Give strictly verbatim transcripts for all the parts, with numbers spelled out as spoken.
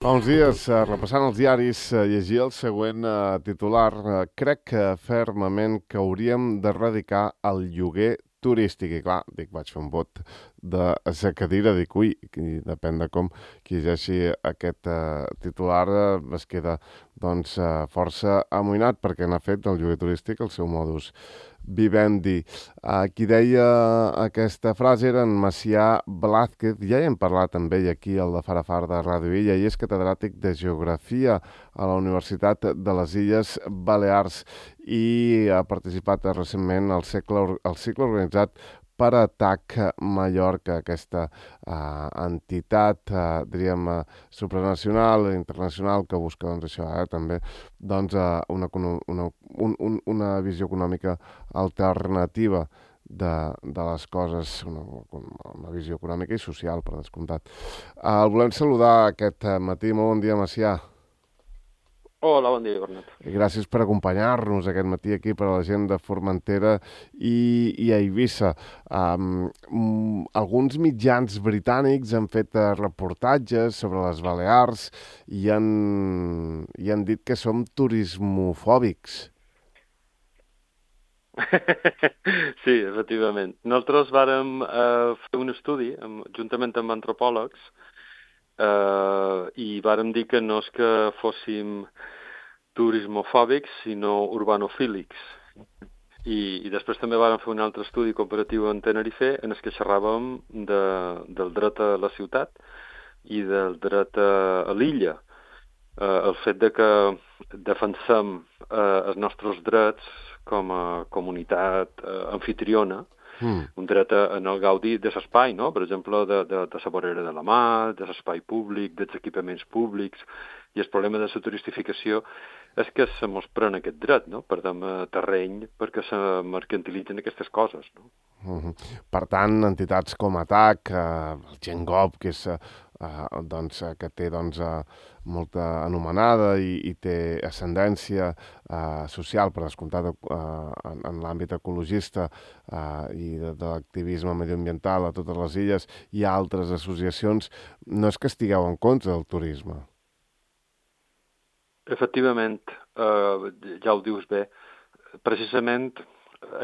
Fa uns dies, eh, repassant els diaris, eh, llegia el següent eh, titular. Eh, crec que fermament que hauríem d'erradicar el lloguer turístic. I clar, dic, vaig fer un vot de sa cadira, dic, ui, i depèn de com qui llegeixi aquest eh, titular eh, es queda doncs eh, força amoïnat perquè n'ha fet del lloguer turístic el seu modus vivendi. Uh, qui deia aquesta frase era en Macià Blázquez. Ja hi hem parlat amb ell aquí, al de Farafar de Ràdio Illa, i és catedràtic de Geografia a la Universitat de les Illes Balears i ha participat recentment al cicle, al cicle organitzat per a T A C Mallorca, aquesta uh, entitat, uh, diríem, uh, supranacional, internacional, que busca doncs, això, eh, també doncs, uh, una, una, un, un, una visió econòmica alternativa de, de les coses, una, una visió econòmica i social, per descomptat. Uh, el volem saludar aquest matí. Molt bon dia, Macià. Hola, bon dia, Bernat. I gràcies per acompanyar-nos aquest matí aquí per a la gent de Formentera i, i a Eivissa. Um, um, alguns mitjans britànics han fet uh, reportatges sobre les Balears i han, i han dit que som turismofòbics. Sí, efectivament. Nosaltres vàrem eh, fer un estudi, amb, juntament amb antropòlegs, eh, i vàrem dir que no és que fóssim turismofòbics, sinó urbanofílics. I, i després també vàrem fer un altre estudi comparatiu en Tenerife en el que xerràvem de, del dret a la ciutat i del dret a, a l'illa. Eh, el fet de que defensem eh, els nostres drets com a comunitat eh, anfitriona, mm. un dret en el gaudi de l'espai, no? Per exemple, de, de, de la vorera de la mà, de l'espai públic, dels equipaments públics, i el problema de la turistificació és que se mos pren aquest dret, no? Perdem terreny perquè se mercantilitzen aquestes coses, no? Uh-huh. Per tant, entitats com A T A C, eh, el Gengop, que és Uh, doncs, uh, que té doncs, uh, molta anomenada i, i té ascendència uh, social, per descomptat, uh, en, en l'àmbit ecologista uh, i de, de l'activisme medioambiental a totes les illes, i altres associacions. No és que estigueu en contra del turisme? Efectivament, uh, ja ho dius bé. Precisament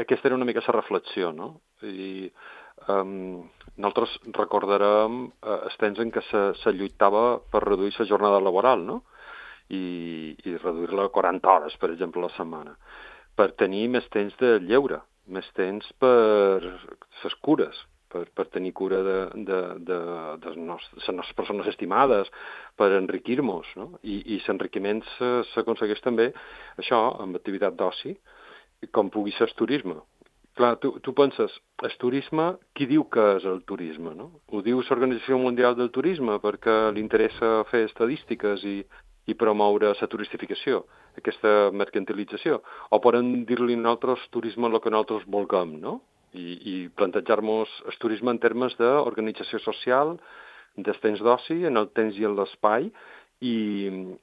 aquesta era una mica la reflexió, no? I um, nosaltres recordarem eh, els temps en què se, se lluitava per reduir la jornada laboral, no? I, i reduir-la a quaranta hores, per exemple, a la setmana, per tenir més temps de lleure, més temps per les cures, per, per tenir cura de, de, de, de les nostres persones estimades, per enriquir-nos, no? I, i l'enriquiment s'aconsegueix també, això, amb activitat d'oci, com pugui ser el turisme. Clar, tu, tu penses, el turisme, qui diu que és el turisme, no? Ho diu l'Organització Mundial del Turisme perquè li interessa fer estadístiques i, i promoure la turistificació, aquesta mercantilització. O poden dir-li nosaltres turisme el que nosaltres vulguem, no? I, i plantejar-nos el turisme en termes d'organització social, dels temps d'oci, en el temps i en l'espai, i,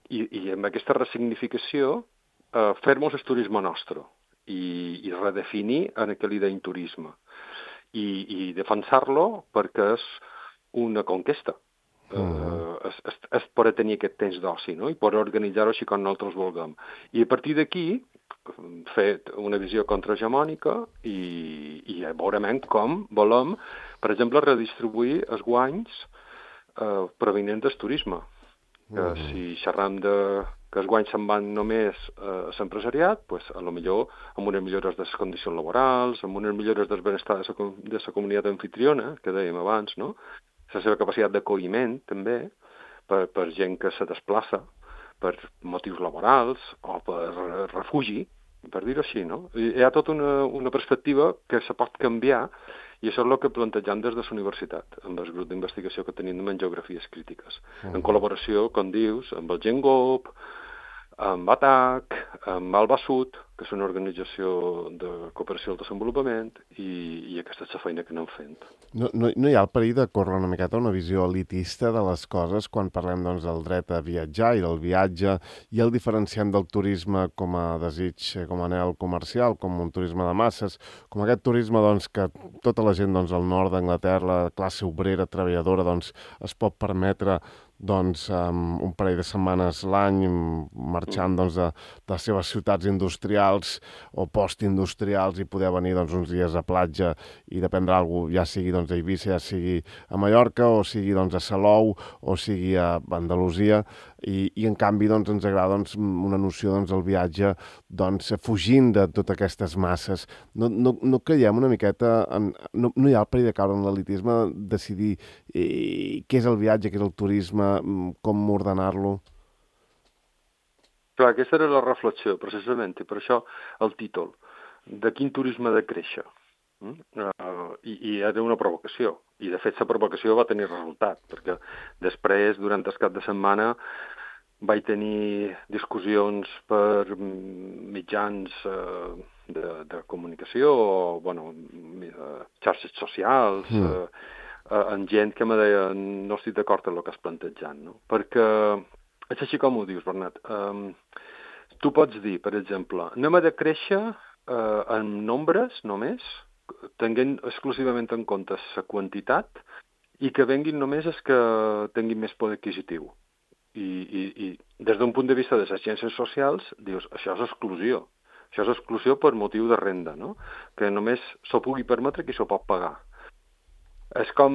i, i amb aquesta ressignificació eh, fer-nos el turisme nostre. I, i redefinir en què li deim turisme i, i defensar-lo perquè és una conquesta. Mm. Uh, es, es, es pot tenir aquest temps d'oci, no? I pot organitzar-ho així com nosaltres vulguem. I a partir d'aquí fer una visió contrahegemònica i, i veurem com volem, per exemple, redistribuir els guanys uh, provenents del turisme. Mm. Uh, si xerram de que els guanys se'n van només a l'empresariat, pues, a lo millor amb unes millores de les condicions laborals, amb unes millores del benestar de la, de la comunitat anfitriona, que dèiem abans, no? La seva capacitat d'acolliment, també, per, per gent que se desplaça per motius laborals o per refugi, per dir-ho així, no? Hi ha tota una, una perspectiva que se pot canviar i això és el que plantegem des de la universitat, amb el grup d'investigació que tenim en geografies crítiques, uh-huh. en col·laboració, com dius, amb el Gengop, amb A T A C, amb Alba Sud, que és una organització de cooperació al desenvolupament, i, i aquesta és la feina que anem fent. No, no, no hi ha el perill de córrer una miqueta una visió elitista de les coses quan parlem doncs, del dret a viatjar i del viatge i el diferenciant del turisme com a desig, com a anhel comercial, com un turisme de masses, com aquest turisme doncs, que tota la gent doncs, al nord d'Anglaterra, la classe obrera, treballadora, doncs, es pot permetre doncs, um, un parell de setmanes l'any marxant doncs, de, de les seves ciutats industrials o postindustrials i poder venir doncs, uns dies a platja i dependre alguna cosa, ja sigui doncs, a Eivissa, ja sigui a Mallorca, o sigui doncs, a Salou, o sigui a Andalusia, i, i en canvi doncs, ens agrada doncs, una noció doncs, el viatge doncs, fugint de totes aquestes masses. No, no, no creiem una miqueta, en, no, no hi ha el perill de caure en l'elitisme, decidir eh, què és el viatge, què és el turisme, com ordenar-lo? Clar, aquesta era la reflexió, precisament, i per això el títol, de quin turisme ha de créixer. Mm? Uh, i, I era una provocació, i de fet la provocació va tenir resultat, perquè després, durant el cap de setmana, vaig tenir discussions per mitjans uh, de, de comunicació, o, bueno, uh, xarxes socials, mm. uh, uh, amb gent que me deia no estic d'acord amb el que has plantejat, no? Perquè és així com ho dius, Bernat. Um, tu pots dir, per exemple, anem a de créixer uh, en nombres només, tenint exclusivament en compte la quantitat, i que venguin només els que tinguin més poder adquisitiu. I, i, i des d'un punt de vista de les ciències socials, dius, això és exclusió. Això és exclusió per motiu de renda, no? Que només s'ho pugui permetre qui s'ho pot pagar. És com,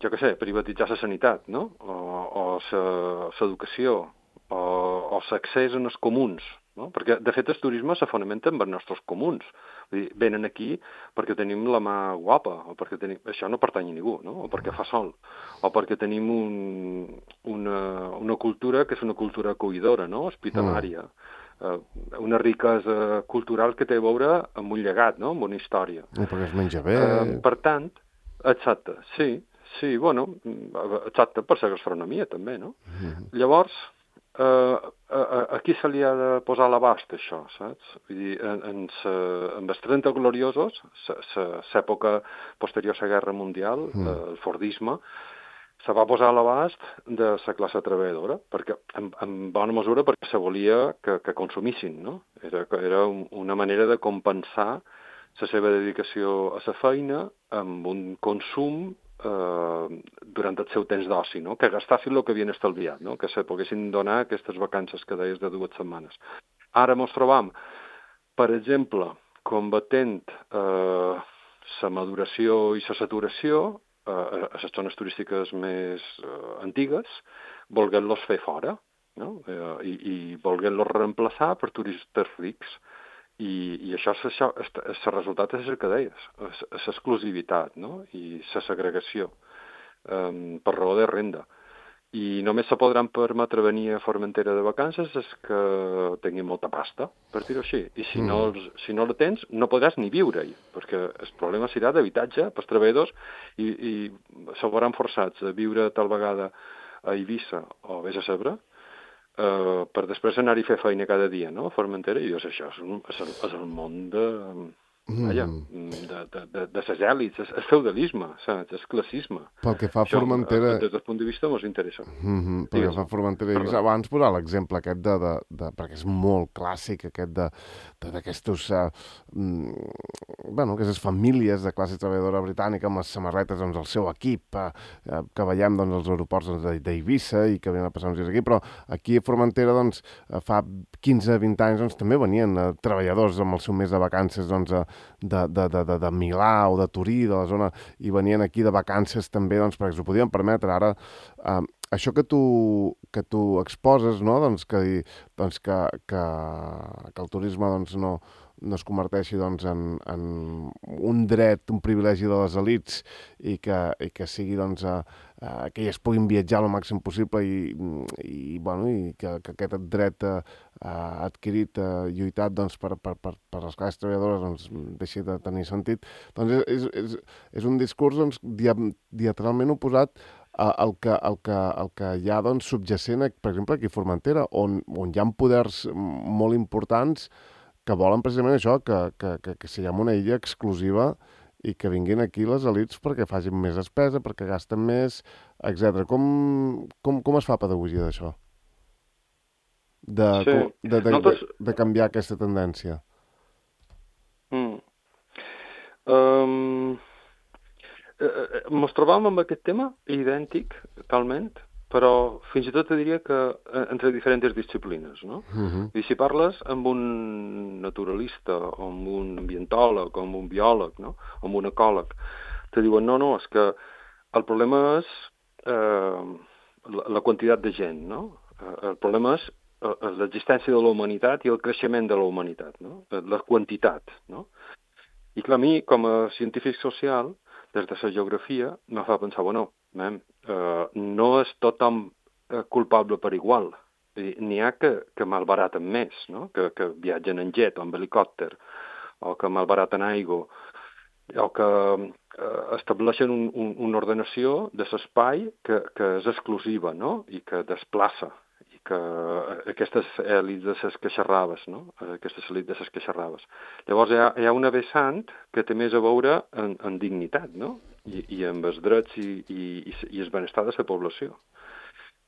jo què sé, privatitzar la sanitat, no? O l'educació, o, o l'accés en els comuns, no? Perquè, de fet, el turisme se fonamenta en els nostres comuns. Vull dir, venen aquí perquè tenim la mà guapa, o perquè tenim... Això no pertany a ningú, no? O perquè fa sol, o perquè tenim un, una, una cultura que és una cultura acollidora, no? Hospitalària. Mm. Una riquesa cultural que té a veure amb un llegat, no? Amb una història. I perquè es menja bé. Uh, per tant, exacte, sí, sí, bueno, exacte, per la gastronomia també, no? Mm-hmm. Llavors, eh, a, a qui se li ha de posar a l'abast això, saps? Vull dir, en, en, sa, en els trenta gloriosos, l'època posterior a la Guerra Mundial, mm. eh, el Fordisme, se va posar a l'abast de la classe treballadora, perquè, en, en bona mesura perquè se volia que, que consumissin, no? Era, era una manera de compensar la seva dedicació a la feina amb un consum eh, durant el seu temps d'oci, no? Que gastassin el que havien estalviat, no? Que se poguessin donar aquestes vacances que deies de dues setmanes. Ara ens trobam, per exemple, combatent eh, la maduració i la saturació eh, a les zones turístiques més eh, antigues, volguent-los fer fora, no? eh, i, i volguent-los reemplaçar per turistes rics. I, i això, això el resultat és el que deies, és l'exclusivitat, no? I la segregació um, per raó de renda. I només se podran permetre venir a Formentera de vacances és que tinguin molta pasta, per dir-ho així. I si, mm. no, si no la tens, no podràs ni viure-hi, perquè el problema serà d'habitatge pels treballadors i, i se veuran forçats a viure tal vegada a Eivissa o vés a saber, Uh, per després anar-hi a fer feina cada dia, no?, a Formentera, i dius, això és, un, és, el, és el món de... Vaja, de, de, de, de ses èlits, és, és feudalisme, saps? És classisme. Pel que fa a Formentera... Des del punt de vista ens interessa. Mm-hmm. Pel que fa a Formentera... Abans posar l'exemple aquest de, de, de... perquè és molt clàssic, aquest de d'aquestos... Uh, mm, bueno, aquestes famílies de classe treballadora britànica amb les samarretes, doncs, el seu equip, uh, uh, que veiem, doncs, als aeroports doncs, d'Eivissa i que venen a passar uns dies aquí, però aquí a Formentera, doncs, fa quinze a vint anys, doncs, també venien uh, treballadors amb el seu mes de vacances, doncs, uh, De, de, de, de, de Milà o de Turí, de la zona, i venien aquí de vacances també, doncs, perquè s'ho podien permetre. Ara, eh, això que tu, que tu exposes, no?, doncs, que, doncs, que, que, que el turisme doncs, no, no es converteixi doncs, en, en un dret, un privilegi de les elits i que, i que sigui doncs, a, a, que elles puguin viatjar el màxim possible i, i, bueno, i que, que aquest dret eh, adquirit, eh, lluitat doncs, per, per, per, per les classes treballadores doncs, deixi de tenir sentit, doncs és, és, és un discurs doncs, dia, diametralment oposat el que, el que, el que hi ha doncs, subjacent, per exemple, aquí a Formentera, on, on hi ha poders molt importants que volen precisament això, que, que, que, que siguem una illa exclusiva i que vinguin aquí les elites perquè facin més despesa, perquè gasten més, etcètera. Com, com, com es fa pedagogia d'això? De, sí. de, de, Nosaltres... de, de canviar aquesta tendència? Mm. Um, eh, ens trobàvem amb aquest tema idèntic, talment, però fins i tot te diria que entre diferents disciplines, no? Uh-huh. I si parles amb un naturalista, o amb un ambientòleg, o amb un biòleg, no? O amb un ecòleg, te diuen, no, no, és que el problema és eh, la, la quantitat de gent, no? Eh, el problema és eh, l'existència de la humanitat i el creixement de la humanitat, no? La quantitat, no? I clar, a mi, com a científic social, des de la geografia, me fa pensar, bueno, man, eh, no és tothom eh, culpable per igual. N'hi ha que, que malbaraten més, no? Que, que viatgen en jet o en helicòpter, o que malbaraten aigua, o que eh, estableixen un, un, una ordenació de l'espai que, que és exclusiva, no? I que desplaça, i que aquestes èlits de les que xerraves, no? Aquestes èlits de les que xerraves. Llavors hi ha, hi ha una vessant que té més a veure en, en dignitat, no? I, i amb els drets i, i, i el benestar de la població.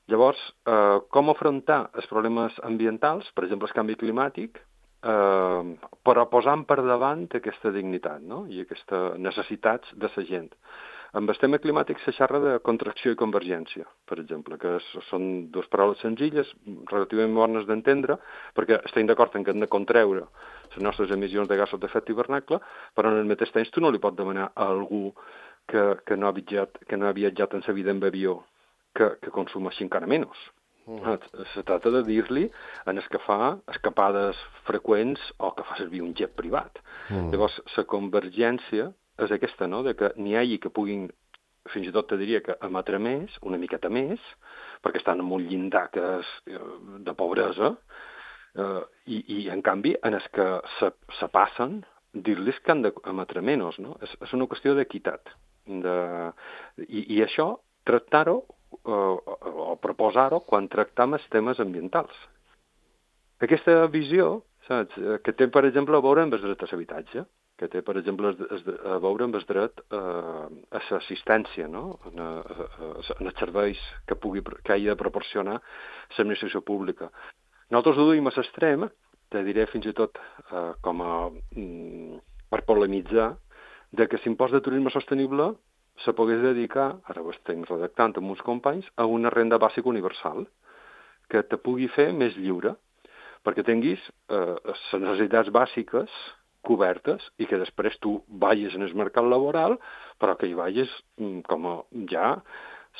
Llavors, eh, com afrontar els problemes ambientals, per exemple, el canvi climàtic, eh, però posant per davant aquesta dignitat, no? I aquestes necessitats de la gent. Amb el tema climàtic se xerra de contracció i convergència, per exemple, que són dues paraules senzilles, relativament bones d'entendre, perquè estem d'acord en que hem de contreure les nostres emissions de gasos d'efecte hivernacle, però en el mateix temps tu no li pots demanar a algú que, que, no, ha viatjat, que no ha viatjat en sa vida en avió que, que consumeixi encara menys. Mm. Se tracta de dir-li en el que fa escapades freqüents o que fa servir un jet privat. Mm. Llavors, la convergència és aquesta, no?, de que n'hi hagi que puguin, fins i tot te diria que emetre més, una miqueta més, perquè estan en un llindar que és de pobresa, eh, i, i en canvi, en els que se, se passen, dir-los que han d'emetre menys, no? És, és una qüestió d'equitat. De... I, I això, tractar-ho, eh, o proposar-ho quan tractam els temes ambientals. Aquesta visió, saps, que té, per exemple, a veure amb els drets a l'habitatge, que té, per exemple, a veure amb el dret a l'assistència, no? En, a, a, en els serveis que, pugui, que hagi de proporcionar l'administració pública. Nosaltres ho duim a l'extrem, te diré fins i tot eh, com a, mm, per polemitzar, de que l'impost de turisme sostenible se pogués dedicar, ara ho estem redactant amb uns companys, a una renda bàsica universal, que te pugui fer més lliure, perquè tinguis eh, les necessitats bàsiques cobertes i que després tu vagis en el mercat laboral, però que hi vagis com a ja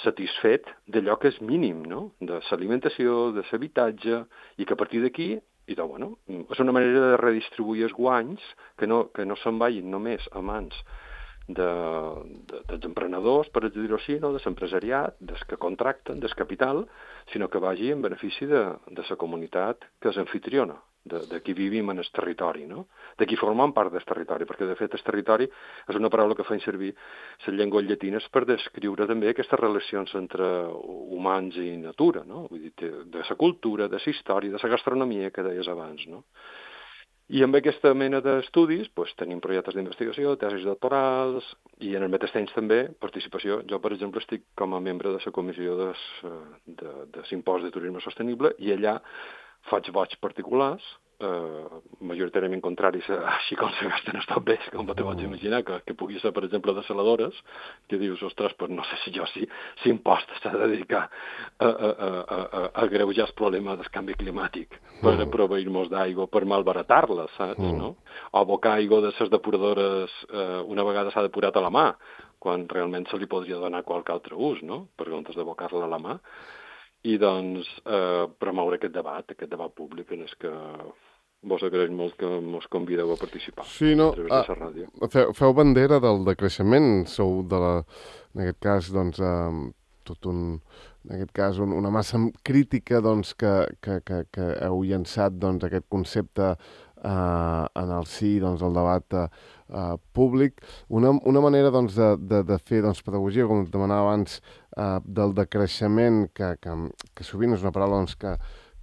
satisfet d'allò que és mínim, no? De l'alimentació, de l'habitatge, i que a partir d'aquí, i de, bueno, és una manera de redistribuir els guanys que no, que no se'n vagin només a mans de, de, dels emprenedors, per dir-ho així, no? De l'empresariat, dels que contracten, del capital, sinó que vagi en benefici de, de la comunitat que és anfitriona, de, de qui vivim en el territori, no? De qui formem part del territori, perquè de fet el territori és una paraula que fan servir les llengües llatines per descriure també aquestes relacions entre humans i natura, no? Vull dir, de la cultura, de la història, de la gastronomia que deies abans, no? I amb aquesta mena d'estudis doncs, tenim projectes d'investigació, tesis doctorals i en el mateix temps també participació. Jo, per exemple, estic com a membre de la comissió de, de, de l'impost de turisme sostenible i allà faig vots particulars, eh, majoritàriament contraris a així com se gasten els top bés, com te pots imaginar, que, que pugui ser, per exemple, desaladores, que dius, ostres, pues no sé si jo si, si impost s'ha de dedicar a, a, a, a, a greujar el problema del canvi climàtic per mm. proveir-nos d'aigua, per malbaratar-la, saps, mm. no? O abocar aigua de les depuradores eh, una vegada s'ha depurat a la mà, quan realment se li podria donar qualque altre ús, no?, per comptes d'abocar-la a la mà. I, doncs, eh, promoure aquest debat, aquest debat públic en el que vos agraeix molt que ens convideu a participar. Sí, no, a través de la ràdio. Feu, feu bandera del decreixement, sou de la, en aquest cas, doncs, eh, tot un, en aquest cas, un, una massa crítica, doncs, que, que, que, que heu llançat, doncs, aquest concepte eh, en el sí, doncs, el debat eh, Uh, públic. Una, una manera doncs, de, de, de fer doncs, pedagogia, com demanava abans, uh, del decreixement, que, que, que sovint és una paraula doncs, que,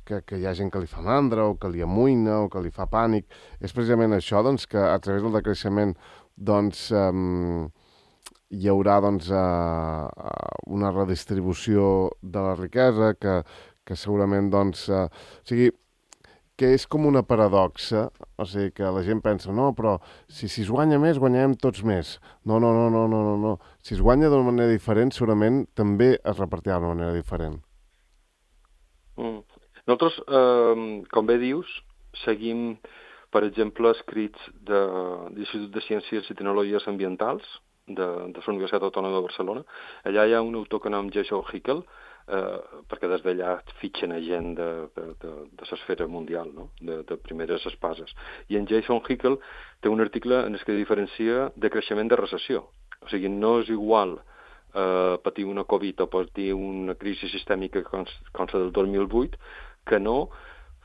que, que hi ha gent que li fa mandra o que li amoïna o que li fa pànic. És precisament això, doncs, que a través del decreixement doncs, um, hi haurà doncs, uh, una redistribució de la riquesa que, que segurament doncs, uh, o sigui, que és com una paradoxa, o sigui, que la gent pensa, no, però si, si es guanya més, guanyarem tots més. No, no, no, no, no, no, no. Si es guanya d'una manera diferent, segurament també es repartirà d'una manera diferent. Mm. Nosaltres, eh, com bé dius, seguim, per exemple, escrits de l'Institut de Ciències i Tecnologies Ambientals de, de la Universitat Autònoma de Barcelona. Allà hi ha un autor que nom Jason Hickel, eh, perquè des d'allà fitxen a gent de, de, de, de l'esfera mundial, no? de, de primeres espases. I en Jason Hickel té un article en el que diferencia de creixement de recessió. O sigui, no és igual eh, patir una Covid o patir una crisi sistèmica com, com la del dos mil vuit que no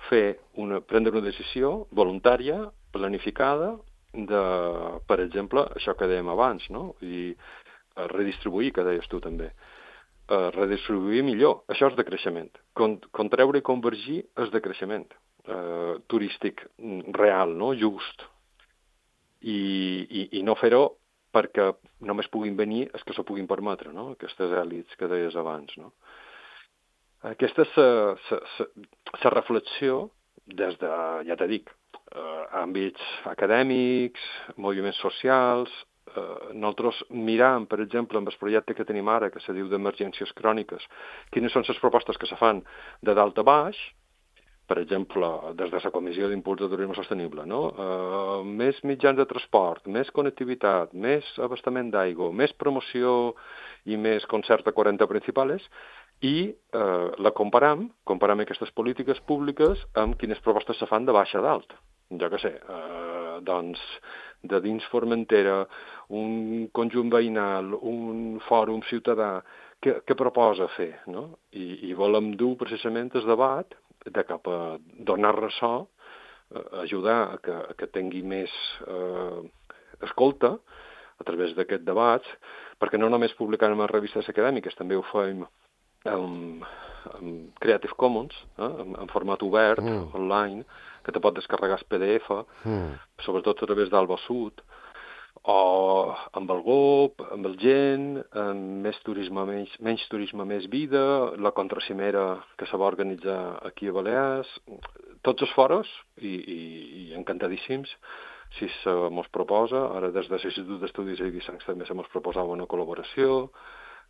fer una, prendre una decisió voluntària, planificada, de, per exemple, això que dèiem abans, no? I uh, redistribuir, que deies tu també. Uh, redistribuir millor, això és de creixement. Con, contreure i convergir és de creixement uh, turístic real, no? Just. I, i, i no fer-ho perquè només puguin venir els que s'ho puguin permetre, no? Aquestes èlits que deies abans, no? Aquesta és la reflexió des de, ja t'he dit, eh, àmbits acadèmics, moviments socials. Eh, nosaltres mirem, per exemple, amb el projecte que tenim ara, que se diu d'emergències cròniques, quines són les propostes que se fan de dalt a baix, per exemple, des de la Comissió d'Impuls de Turisme Sostenible, no? Eh, més mitjans de transport, més connectivitat, més abastament d'aigua, més promoció i més concert a quaranta principals, i eh, la comparam, comparam aquestes polítiques públiques amb quines propostes se fan de baix a dalt. Jo què sé, eh, doncs, de dins Formentera, un conjunt veïnal, un fòrum ciutadà, què, què proposa fer, no? I, i volem dur precisament el debat de cap a donar ressò, eh, ajudar a que, a que tingui més eh, escolta a través d'aquests debats, perquè no només publicant en les revistes acadèmiques, també ho fem amb, amb Creative Commons, eh, en, en format obert, mm. online, que te pot descarregar el P D F, mm. sobretot a través d'Alba Sud, o amb el G O P, amb el Gent, amb més turisme, menys, menys turisme, més vida, la contracimera que se va organitzar aquí a Balears, tots els foros, i, i, i encantadíssims, si se mos proposa, ara des de l'Institut d'Estudis de Guissancs també se mos proposava una col·laboració,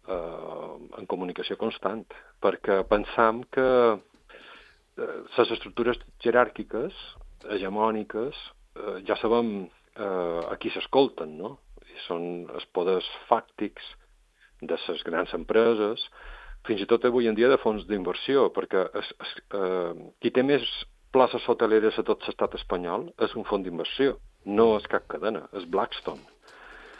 eh, en comunicació constant, perquè pensam que eh, les estructures jeràrquiques, hegemòniques, eh, ja sabem eh, a qui s'escolten, no? I són els poders fàctics de les grans empreses, fins i tot avui en dia de fons d'inversió, perquè es, es, eh, qui té més places hoteleres a tot l'estat espanyol és un fons d'inversió, no és cap cadena, és Blackstone.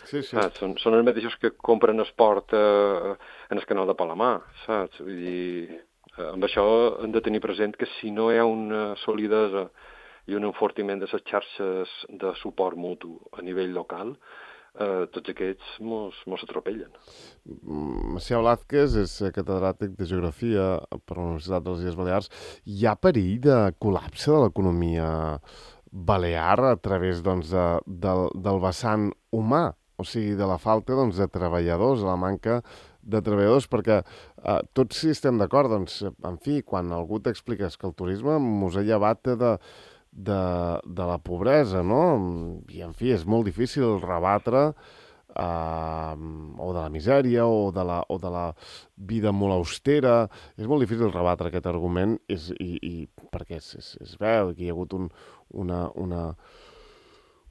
Sí, sí. Saps? Són, són els mateixos que compren esport eh, en el canal de Palamà, saps? Vull dir, eh, amb això hem de tenir present que si no hi ha una solidesa i un enfortiment de les xarxes de suport mutu a nivell local, eh, tots aquests mos, mos atropellen. Macià Blázquez és catedràtic de Geografia per la Universitat de les Illes Balears. Hi ha perill de col·lapse de l'economia balear a través doncs, de, del, del vessant humà, o sigui, de la falta doncs, de treballadors, de la manca de treballadors, perquè eh, tots sí estem d'acord, doncs, en fi, quan algú t'expliques que el turisme mos ha llevat de, de, de la pobresa, no? I, en fi, és molt difícil rebatre Uh, o de la misèria o de la, o de la vida molt austera. És molt difícil rebatre aquest argument és, i, i, perquè és, és, és veu que hi ha hagut un, una, una,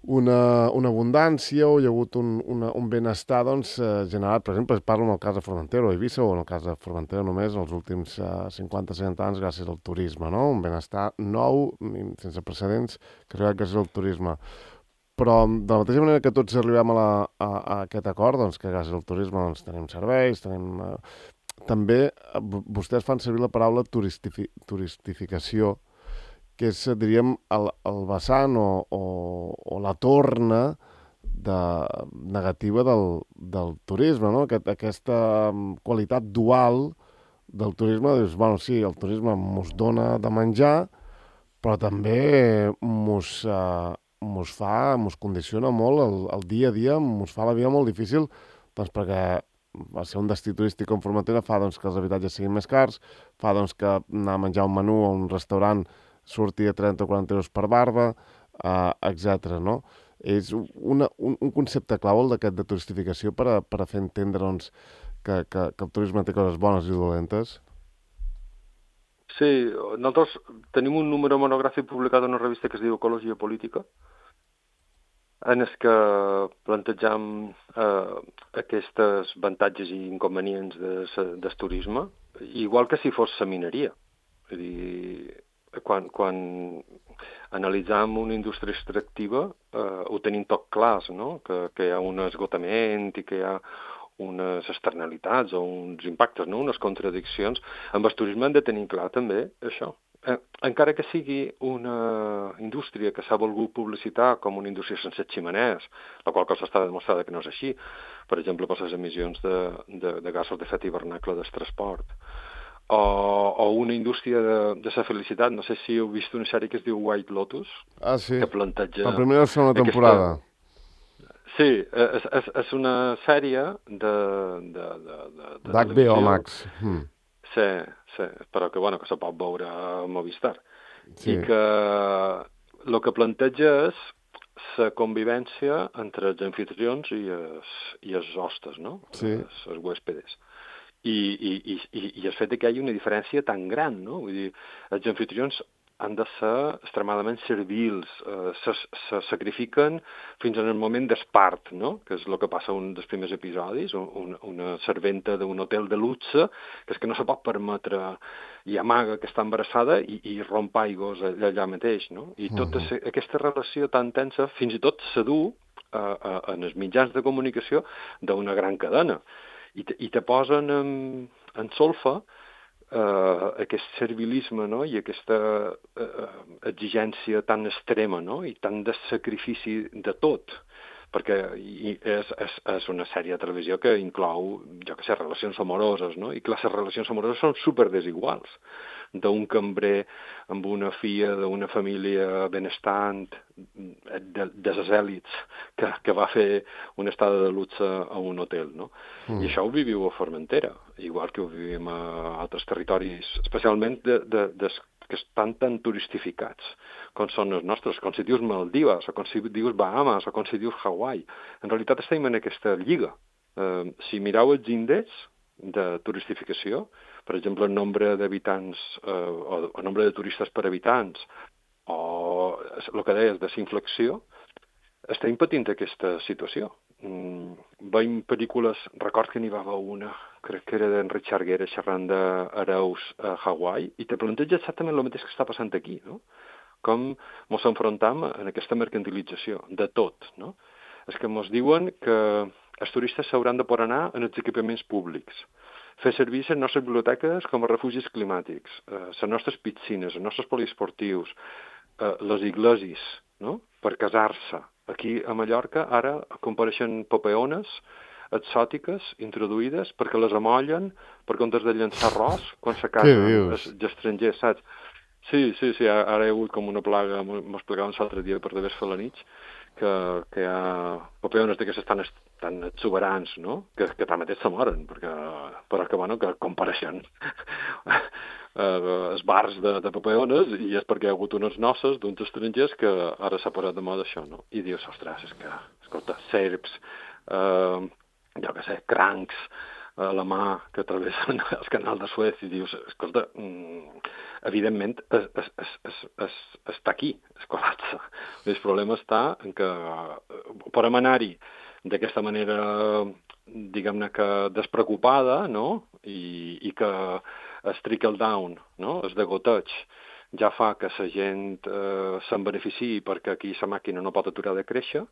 una, una abundància o hi ha hagut un, una, un benestar doncs, uh, generat, per exemple, parlo en el cas de Formentera o Eivissa o en el cas de Formentera només en els últims uh, cinquanta seixanta anys gràcies al turisme, no? Un benestar nou, sense precedents, que ha arribat gràcies al turisme. Però de la mateixa manera que tots arribem a, la, a, a aquest acord, doncs, que gràcies al turisme doncs, tenim serveis, tenim... Eh, també eh, vostès fan servir la paraula turistifi, turistificació, que és, diríem, el, el vessant o, o, o la torna de, negativa del, del turisme, no? Aquest, aquesta qualitat dual del turisme, dius, bueno, sí, el turisme mos dona de menjar, però també mos... Eh, mos fa, mos condiciona molt el, el dia a dia, mos fa la vida molt difícil, doncs perquè va ser un destí turístic com Formentera fa doncs, que els habitatges siguin més cars, fa doncs, que anar a menjar un menú a un restaurant surti a trenta o quaranta euros per barba, eh, etcètera. No? És una, un, un concepte clau el d'aquest de turistificació per a, per a fer entendre doncs, que, que, que el turisme té coses bones i dolentes. Sí, nosaltres tenim un número monogràfic publicat en una revista que es diu Ecologia Política, en el que plantejam eh, aquests avantatges i inconvenients de, del turisme, igual que si fos la mineria. És a dir, quan, quan analitzam una indústria extractiva eh, ho tenim tot clars, no? que, que hi ha un esgotament i que hi ha unes externalitats o uns impactes, no? Unes contradiccions. Amb el turisme hem de tenir clar també això. Eh, encara que sigui una indústria que s'ha volgut publicitar com una indústria sense ximeners, la qual cosa està demostrada que no és així, per exemple, per les emissions de, de, de gasos d'efecte hivernacle del transport, o, o una indústria de, de la felicitat. No sé si heu vist una sèrie que es diu White Lotus, ah, sí. que planteja... La primera o segona aquesta... temporada. Sí, és, és, és una sèrie de... de, de, de, de d'H B O Max. Hmm. Sí, sí, però que, bueno, que se pot veure a Movistar. Sí. I que el que planteja és la convivència entre els anfitrions i els, i els hostes, no? Sí. Els, els huéspedes. I, i, i, i el fet que hi hagi una diferència tan gran, no? Vull dir, els anfitrions han de ser extremadament servils, eh, se, se sacrifiquen fins en el moment d'espart, no? Que és el que passa en un dels primers episodis, un, una serventa d'un hotel de luxe, que és que no se pot permetre i amaga que està embarassada i, i romp aigües allà, allà mateix, no? I tota uh -huh. aquesta relació tan tensa fins i tot s'adú eh, eh, en els mitjans de comunicació d'una gran cadena. I te, i te posen en, en solfa Uh, aquest servilisme, no? I aquesta uh, exigència tan extrema, no? I tant de sacrifici de tot, perquè i és, és, és una sèrie de televisió que inclou, jo què sé, relacions amoroses, no? I que les relacions amoroses són super desiguals, d'un cambrer amb una filla d'una família benestant, de, de les èlits, que, que va fer una estada de luxe a un hotel, no? Mm. I això ho viviu a Formentera, igual que ho vivim a altres territoris, especialment de, de, de, que estan tan turistificats com són els nostres, com si dius Maldives, o com si dius Bahamas, o com si dius Hawaii. En realitat estem en aquesta lliga. Eh, si mireu els índexs de turistificació, per exemple, el nombre d'habitants eh, o el nombre de turistes per habitants, o el que deies de inflexió, estem patint aquesta situació. Mm, veiem pel·lícules, record que n'hi va haver una, crec que era d'en Richard Gere xerrant d'hereus a Hawaii, i te planteja exactament el mateix que està passant aquí, no? Com ens enfrontam en aquesta mercantilització de tot, no? És que ens diuen que els turistes s'hauran de poder anar en els equipaments públics, fer servir les nostres biblioteques com a refugis climàtics, eh, les nostres piscines, els nostres poliesportius, eh, les iglesis, no? Per casar-se. Aquí a Mallorca ara compareixen papeones exòtiques introduïdes perquè les amollen per comptes de llançar arròs quan se casen els estrangers, saps? Sí, sí, sí, ara hi ha hagut com una plaga, m'ho explicaven l'altre dia per d'haver fer la nit, que, que hi ha papeones d'aquestes tan, tan exuberants, no? Que, que tanmateix se moren, perquè, però que, bueno, que compareixen els bars de, de papeones, i és perquè hi ha hagut unes noces d'uns estrangers que ara s'ha posat de moda això, no? I dius, ostres, és que, escolta, serps, eh, jo què sé, crancs, a la mà que travessen el canal de Suez, i dius, escolta, mm, evidentment es, es, es, es, es, està aquí, es col·lapsa. El problema està en que podem anar-hi d'aquesta manera, diguem-ne que despreocupada, no? I, i que el trickle down, no? El degoteig, ja fa que la gent eh, se'n beneficiï perquè aquí la màquina no pot aturar de créixer,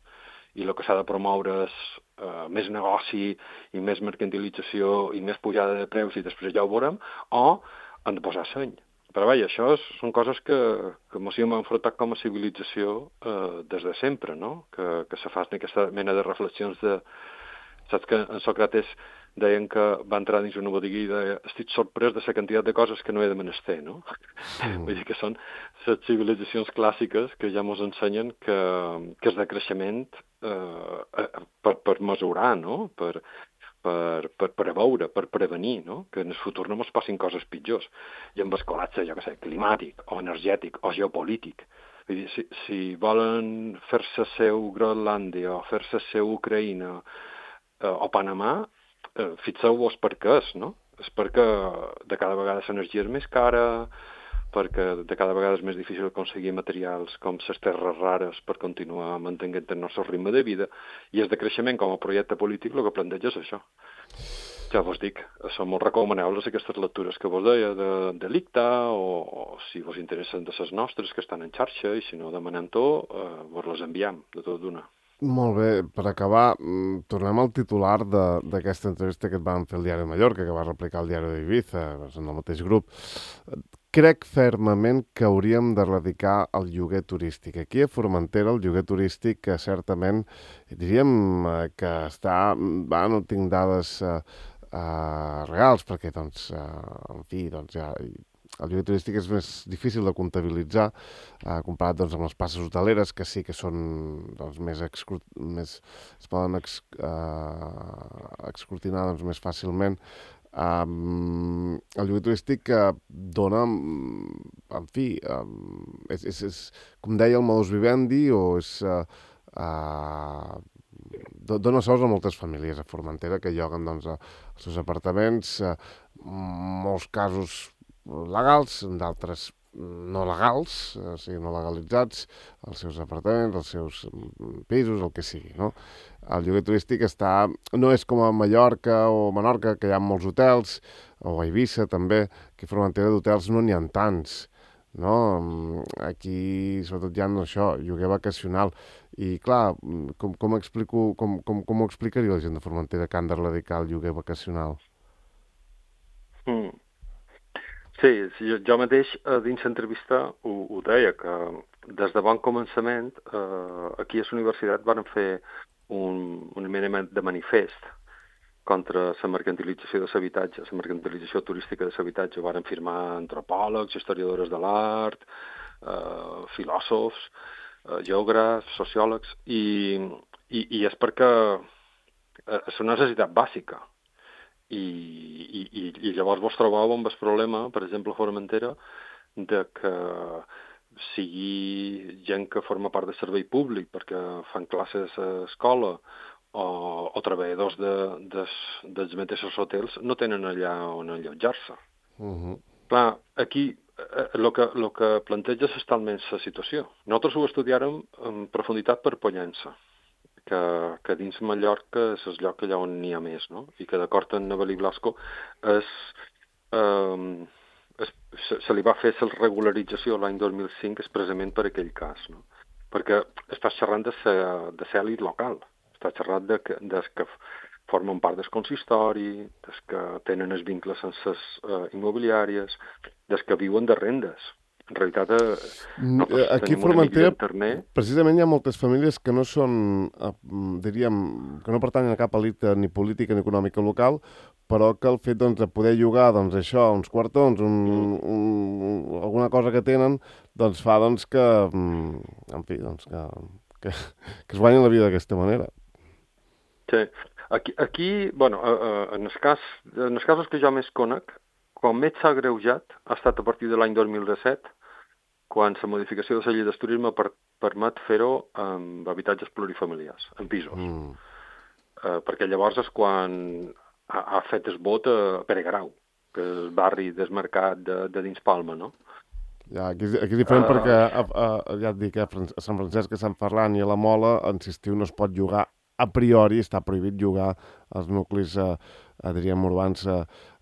i el que s'ha de promoure és uh, més negoci i més mercantilització i més pujada de preus, i després ja ho veurem, o han de posar seny. Però vaja, això és, són coses que, que ens hem enfrontat com a civilització uh, des de sempre, no? Que, que se fan aquesta mena de reflexions de... Saps que en Sòcrates deien que va entrar dins una botiga i deia, estic sorprès de la quantitat de coses que no he de menester, no? Mm. Vull dir que són les civilitzacions clàssiques que ja ens ensenyen que, que és de creixement eh, per, per mesurar, no? Per, per, per preveure, per prevenir, no? Que en el futur no ens passin coses pitjors. I amb el col·lapse, jo què sé, climàtic, o energètic, o geopolític. Vull dir, si, si volen fer-se seu Groenlàndia, o fer-se seu Ucraïna, eh, o Panamà, eh, fixeu-vos per què és, no? És perquè de cada vegada l'energia és més cara, perquè de cada vegada és més difícil aconseguir materials com les terres rares per continuar mantenint el nostre ritme de vida, i el de creixement com a projecte polític el que planteja és això. Ja vos dic, són molt recomanables aquestes lectures que vos deia de, de l'Icta, o, o si vos interessen de les nostres que estan en xarxa, i si no demanem-ho, eh, vos les enviem de tot d'una. Molt bé, per acabar, tornem al titular d'aquesta entrevista que et van fer al Diari de Mallorca, que va replicar el Diari d'Ibiza, en el mateix grup. Crec fermament que hauríem d'erradicar el lloguer turístic. Aquí a Formentera el lloguer turístic que certament diríem que està... Va, no tinc dades uh, uh, reals perquè, doncs, uh, en fi, doncs ja... El lloguer turístic és més difícil de comptabilitzar eh, comparat doncs, amb les places hoteleres, que sí que són doncs, més, excru... més es poden ex... eh, escrutinar doncs, més fàcilment. Um, el lloguer turístic uh, dona, en fi, um, és, és, és, com deia el modus vivendi, o és... Uh, uh, dona sous a moltes famílies a Formentera que lloguen doncs, els seus apartaments, uh, molts casos legals, d'altres no legals, o sigui, no legalitzats, els seus apartaments, els seus pisos, el que sigui, no? El lloguer turístic està... No és com a Mallorca o Menorca, que hi ha molts hotels, o a Eivissa també, que a Formentera d'hotels no n'hi ha tants, no? Aquí, sobretot, hi ha això, lloguer vacacional. I, clar, com, com, explico, com, com, com ho explicaria la gent de Formentera que han de erradicar el lloguer vacacional? Mm. Sí, jo, jo mateix eh, dins l'entrevista ho, ho deia, que des de bon començament eh, aquí a la universitat van fer un, un mena de manifest contra la mercantilització de l'habitatge, la mercantilització turística de l'habitatge. Ho van firmar antropòlegs, historiadores de l'art, eh, filòsofs, eh, geògrafs, sociòlegs, i, i, i és perquè és una necessitat bàsica. I, i, i llavors vos trobàveu amb el problema, per exemple, a Formentera, de que sigui gent que forma part del servei públic perquè fan classes a escola o, o treballadors de, de, dels mateixos hotels no tenen allà on allotjar-se. Uh-huh. Clar, aquí el que, lo que planteja és talment la situació. Nosaltres ho estudiàrem en profunditat per Pollença, que, que dins Mallorca és el lloc allà on n'hi ha més, no? I que d'acord amb Navalí Blasco és, eh, es, se, se li va fer la regularització l'any dos mil cinc expressament per aquell cas, no? Perquè estàs xerrant de l'elit local, estàs xerrant de que, de que formen part del consistori, des que tenen els vincles amb les uh, immobiliàries, des que viuen de rendes. En realitat, no, aquí a Formentera, precisament hi ha moltes famílies que no són, diríem, que no pertanyen a cap elit ni política ni econòmica local, però que el fet doncs, de poder llogar doncs, això, uns quartons, un, un, alguna cosa que tenen, doncs fa doncs, que, en fi, doncs, que, que, que es guanyin la vida d'aquesta manera. Sí. Aquí, aquí bueno, en els cas, en els casos que jo més conec, quan més s'ha agreujat ha estat a partir de l'any dos mil disset, quan la modificació de la llei del turisme per, permet fer-ho amb habitatges plurifamiliars, en pisos. Mm. Uh, perquè llavors és quan ha, ha fet el vot a Pere Garau, que és el barri desmarcat de, de dins Palma, no? Ja, aquí, aquí és diferent uh... perquè, a, a, ja et dic, a Sant Francesc, a Sant Ferran i a la Mola, en estiu no es pot llogar a priori, està prohibit llogar als nuclis, eh, diríem, urbans eh,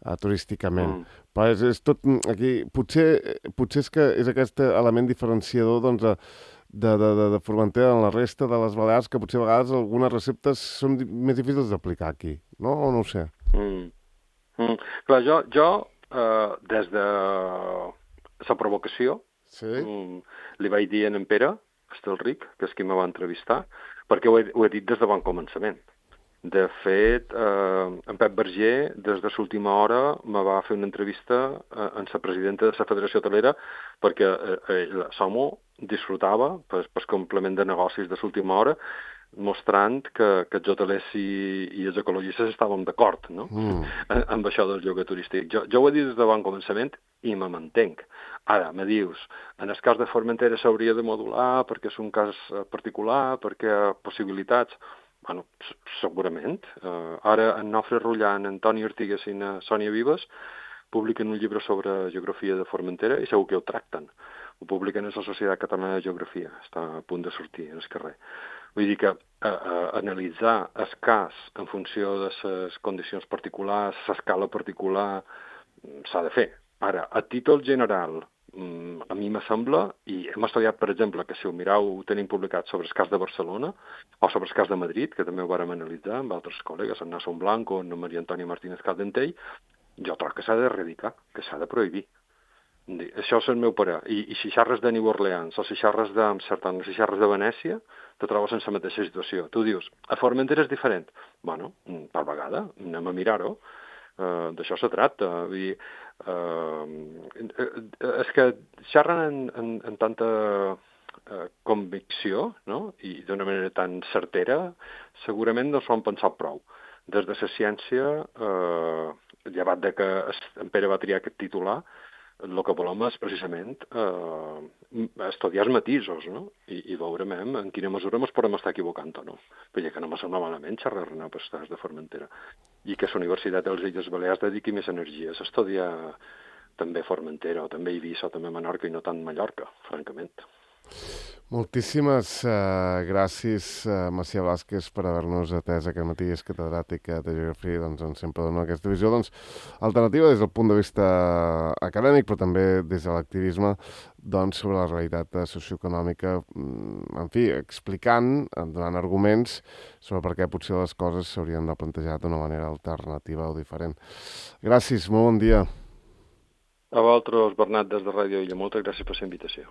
eh, turísticament. Mm. Però és, és tot... Aquí, potser, potser és que és aquest element diferenciador doncs, de, de, de, de Formentera en la resta de les Balears, que potser a vegades algunes receptes són di més difícils d'aplicar aquí, no? O no ho sé? Mm. Mm. Clar, jo, jo eh, des de la provocació, sí? mm, li vaig dir a en Pere Estelric, que és qui me va entrevistar, perquè ho he, ho he dit des de bon començament. De fet, eh, en Pep Berger, des de l'última hora, me va fer una entrevista eh, amb la presidenta de la Federació Hotelera perquè eh, eh, Somo disfrutava, per, per complement de negocis de l'última hora, mostrant que, que els hotelers i, i els ecologistes estàvem d'acord, no? Mm. amb, amb això del lloguer turístic. Jo, jo ho he dit des de bon començament i me mantenc. Ara, me dius, en el cas de Formentera s'hauria de modular perquè és un cas particular, perquè hi ha possibilitats... Bueno, segurament. Uh, ara en Nofre Rullant, Antoni Ortigues i na Sònia Vives publiquen un llibre sobre geografia de Formentera i segur que ho tracten. Ho publiquen a la Societat Catalana de Geografia, està a punt de sortir en el carrer. Vull dir que a, a, analitzar el cas en funció de les condicions particulars, l'escala particular, s'ha de fer. Ara, a títol general, a mi me sembla, i hem estudiat, per exemple, que si ho mireu, ho tenim publicat sobre el cas de Barcelona o sobre el cas de Madrid, que també ho vàrem analitzar amb altres col·legues, en Nasson Blanco, en Maria Antònia Martínez Caldentell, jo trobo que s'ha d'erradicar, que s'ha de prohibir. Això és el meu parer. I, i si xarres de New Orleans o si xarres d'Amsterdam o si xarres de Venècia, te trobes en la mateixa situació. Tu dius, a Formentera és diferent. Bueno, tal vegada, anem a mirar-ho. Uh, d'això se tracta. Vull dir, uh, és que xerren en, en, en tanta uh, convicció, no? I d'una manera tan certera, segurament no s'ho han pensat prou. Des de la ciència, uh, llevat de que en Pere va triar aquest titular, el que volem és precisament eh, estudiar els matisos, no? I, i veurem en quina mesura ens podem estar equivocant o no. Perquè que no me sembla malament xerrar-ne per cas de Formentera. I que la Universitat de les Illes Balears dediqui més energies a estudiar també Formentera o també Eivissa o també Menorca i no tant Mallorca, francament. Moltíssimes uh, gràcies, uh, Macià Vázquez, per haver-nos atès aquest matí. És catedràtic de Geografia, doncs ens sempre dona aquesta visió doncs, alternativa des del punt de vista acadèmic, però també des de l'activisme doncs, sobre la realitat socioeconòmica, en fi, explicant, donant arguments sobre per què potser les coses s'haurien de plantejar d'una manera alternativa o diferent. Gràcies, molt bon dia. A vosaltres, Bernat, des de Ràdio Illa, moltes gràcies per la invitació.